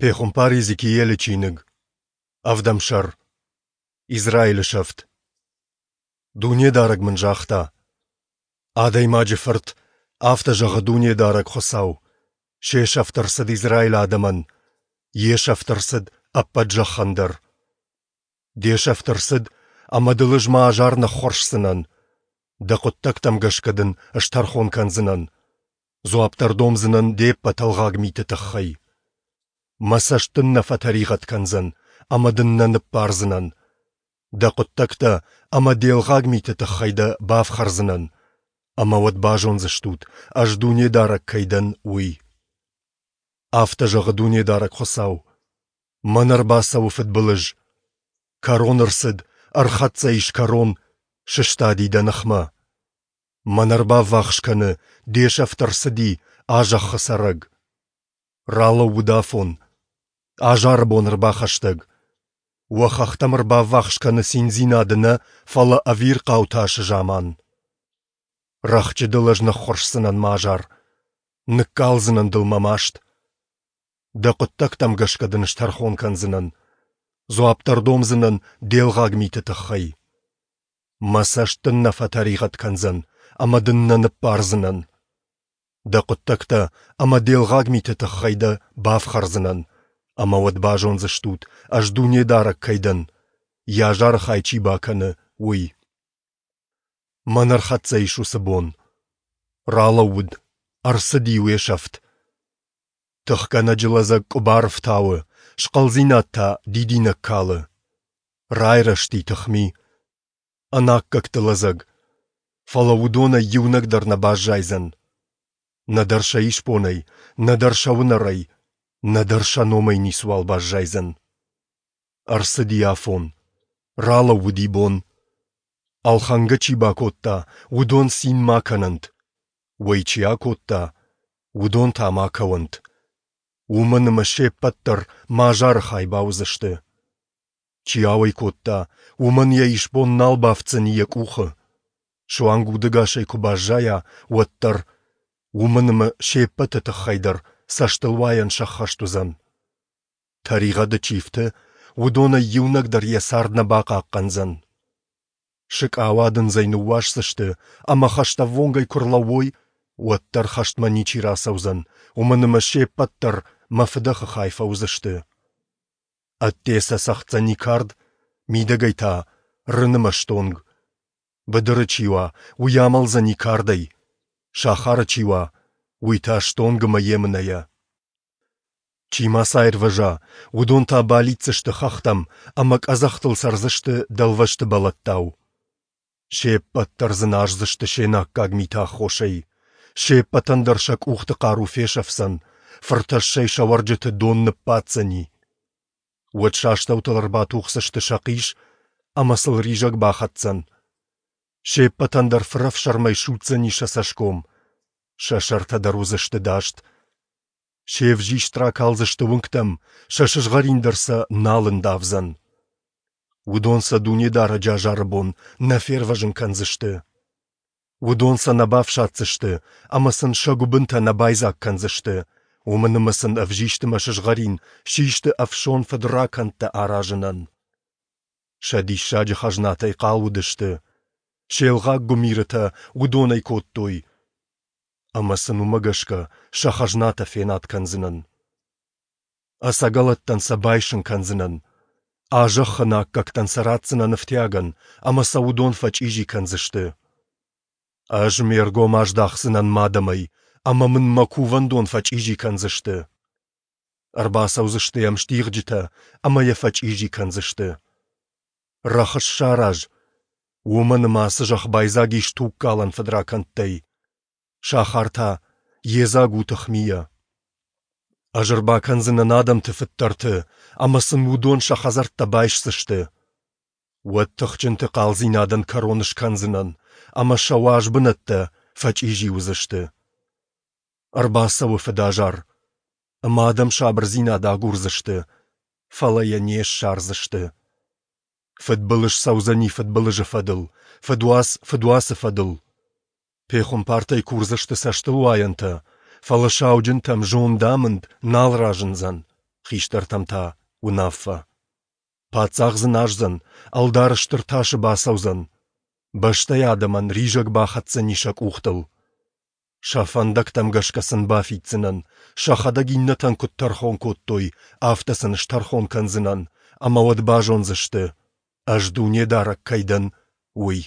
Пехуымпар Иезекиилы чиныг, ӕвдӕм сӕр. Израилы сӕфт. Дунедарӕг мын загъта: Адӕймаджы фырт, афтӕ зӕгъы Дунедарӕг Хуыцау: Се сӕфт ӕрцыд Израилы адӕмӕн, йе сӕфт ӕрцыд ӕппӕт зӕххӕн дӕр. Де сӕфт ӕрцыд, ӕмӕ дыл ӕз мӕ азар ныххуырсдзынӕн. Дӕ хъуыддӕгтӕм гӕсгӕ дын стӕрхон кӕндзынӕн. Дзуапп дӕр домдзынӕн де ппӕт ӕлгъаг миты тыххӕй. Мӕ цӕст дын нӕ фӕтӕригъӕд кӕндзӕн ӕмӕ дын нӕ ныббардзынӕн. Дӕ хъуыддӕгтӕ ӕмӕ де лгъаг миты тыххӕй дӕ бафхӕрдзынӕн, ӕмӕ уӕд базондзыстут, ӕз Дунедарӕг кӕй дӕн, уый. Афтӕ зӕгъы Дунедарӕг Хуыцау: Мӕн ӕрбацӕуы фыдбылыз. Кӕрон ӕрцыд, ӕрхӕццӕ ис кӕрон, сыстади дӕ ныхмӕ. Мӕн ӕрбаввахс кӕны, де сӕфт ӕрцыди, а зӕххы цӕрӕг. Ралӕууыд афон. Азары бон ӕрбахӕстӕг. Уӕ хӕхтӕм ӕрбаввахс кӕны циндзинады нӕ, фӕлӕ ӕвирхъау тасы заман. Рӕхджы дыл ӕз ныххуырсдзынӕн мӕ азар, ныккалдзынӕн дыл мӕ маст. Дӕ хъуыддӕгтӕм гӕсгӕ дын стӕрхон кӕндзынӕн, дзуапп дӕр домдзынӕн де лгъаг миты тыххӕй. Мӕ цӕст дын нӕ фӕтӕригъӕд кӕндзӕн ӕмӕ дын нӕ ныббардзынӕн. Дӕ хъуыддӕгтӕ ӕмӕ де лгъаг миты тыххӕй дӕ бафхӕрдзынӕн, ӕмӕ уӕд базондзыстут, ӕз Дунедарӕг кӕй дӕн, йӕ азары хай чи бакӕны, уый. Мӕн ӕрхӕццӕ ис уыцы бон. Ралӕууыд, ӕрцыди уе сӕфт. Тыхгӕнӕджы лӕдзӕг къуыбар ӕфтауы, схъӕлдзинад та дидинӕг калы. Райрӕзти тыхми, ӕнаккӕгты лӕдзӕг, фӕлӕ уыдонӕй иунӕг дӕр нӕ баззайдзӕн. Нӕдӕр сӕ исбонӕй, нӕдӕр сӕ уынӕрӕй, нӕдӕр сӕ номӕй ницыуал баззайдзӕн. Ӕрцыди афон, ралӕууыди бон. Ӕлхӕнгӕ чи бакодта, уыдон цин ма кӕнӕнт, уӕй чи акодта, уыдон та ма кӕуӕнт. Уымӕн ӕмӕ се ппӕт дӕр мӕ азары хай бауыдзысты. Чи ауӕй кодта, уымӕн йӕ исбон нал бафтдзӕни йӕ къухы. Суанг удӕгасӕй куы баззайа, уӕддӕр, уымӕн ӕмӕ се ппӕты тыххӕй дӕр цӕстылуайӕн сӕххӕст уыдзӕн. Тӕригъӕды чи фты, уыдонӕй иунӕг дӕр йӕ цард нӕ бахъахъхъӕндзӕн. Сыкъауадындзӕй ныууасдзысты ӕмӕ хӕстӕввонгӕй куы рлӕууой, уӕддӕр хӕстмӕ ничи рацӕудзӕн, уымӕн ӕмӕ се ппӕт дӕр мӕ фыдӕхы хай фӕуыдзысты. Ӕдде сӕ цӕгъддзӕни кард, мидӕгӕй та рын ӕмӕ стонг. Быдыры чи уа, уый амӕлдзӕни кардӕй, сахары чи уа, уый та стонг ӕмӕ емынӕйӕ. Чи ма сӕ аирвӕза, уыдон та балидздзысты хӕхтӕм ӕмӕ къӕдзӕхтыл цӕрдзысты дӕлвӕзты бӕлӕттау. Се ппӕт дӕр дзыназдзысты се наккаг миты аххосӕй. Се ппӕтӕн дӕр сӕ къухты хъару фесӕфдзӕн, фыртӕссӕй сӕ уӕрджыты дон ныббаддзӕни. Уӕд сӕ астӕутыл ӕрбатухдзысты сӕ хъис ӕмӕ сыл ризӕг бахӕцдзӕн. Се ппӕтӕн дӕр фырӕфсӕрмӕй судздзӕни сӕ цӕсгом, сӕ сӕртӕ дӕр уыдзысты даст. Се взист ракалдзысты уынгтӕм, сӕ сызгъӕрин дӕр сӕ нал ӕндавдзӕн. Уыдон сӕ Дунедарӕджы азары бон нӕ фервӕзын кӕндзысты. Уыдон сӕ нӕ бафсаддзысты ӕмӕ сын сӕ гуыбынтӕ нӕ байдзаг кӕндзысты, уымӕн ӕмӕ сын ӕвзист ӕмӕ сызгъӕрин систы ӕфсон фыдракӕндтӕ аразынӕн. Сӕ диссаджы хӕзнатӕй хъал уыдысты, се лгъаг гуымирытӕ уыдонӕй кодтой, ӕмӕ сын уымӕ гӕсгӕ сӕ хӕзнатӕ фенад кӕндзынӕн. Ӕцӕгӕлӕттӕн сӕ байсын кӕндзынӕн, а зӕххы ӕнаккӕгтӕн сӕ ратдзынӕн ӕфтиагӕн, ӕмӕ сӕ уыдон фӕчъизи кӕндзысты. Ӕз ме ргом аздахдзынӕн мӕ адӕмӕй, ӕмӕ мын мӕ кувӕндон фӕчъизи кӕндзысты. Ӕрбацӕудзысты йӕм стигъджытӕ ӕмӕ йӕ фӕчъизи кӕндзысты. Рӕхыс сараз, уымӕн ӕмӕ ацы зӕхх байдзаг ис тугкалӕн фыдракӕндтӕй. Сахар та йедзаг у тыхмийӕ. Ӕз ӕрбакӕндзынӕн адӕмты фыддӕрты, ӕмӕ сын уыдон сӕ хӕдзӕрттӕ байсдзысты. Уӕд тыхджынты хъалдзинадӕн кӕрон скӕндзынӕн, ӕмӕ сӕ уаз бынӕттӕ фӕчъизи уыдзысты. Ӕрбацӕуы фыдазар, ӕмӕ адӕм сабырдзинад агурдзысты, фӕлӕ йӕ не ссардзысты. Фыдбылыз цӕудзӕни фыдбылызы фӕдыл, фыдуац фыдуацы фӕдыл. Пехуымпартӕй курдзысты цӕстылуайӕнтӕ, фӕлӕ сауджынтӕм зондамынд нал разындзӕн. хистӕртӕм та, уынаффӕ. Паддзах дзыназдзӕн, ӕлдар стыр тасы бацӕудзӕн. Бӕстӕйы адӕмӕн ризӕг бахӕцдзӕни сӕ къухтыл. Сӕ фӕндӕгтӕм гӕсгӕ сын бафиддзынӕн, сӕхӕдӕг иннӕтӕн куыд тӕрхон кодтой, афтӕ сын стӕрхон кӕндзынӕн, ӕмӕ уӕд базондзысты, Ӕз Дунедарӕг кӕй дӕн, уый.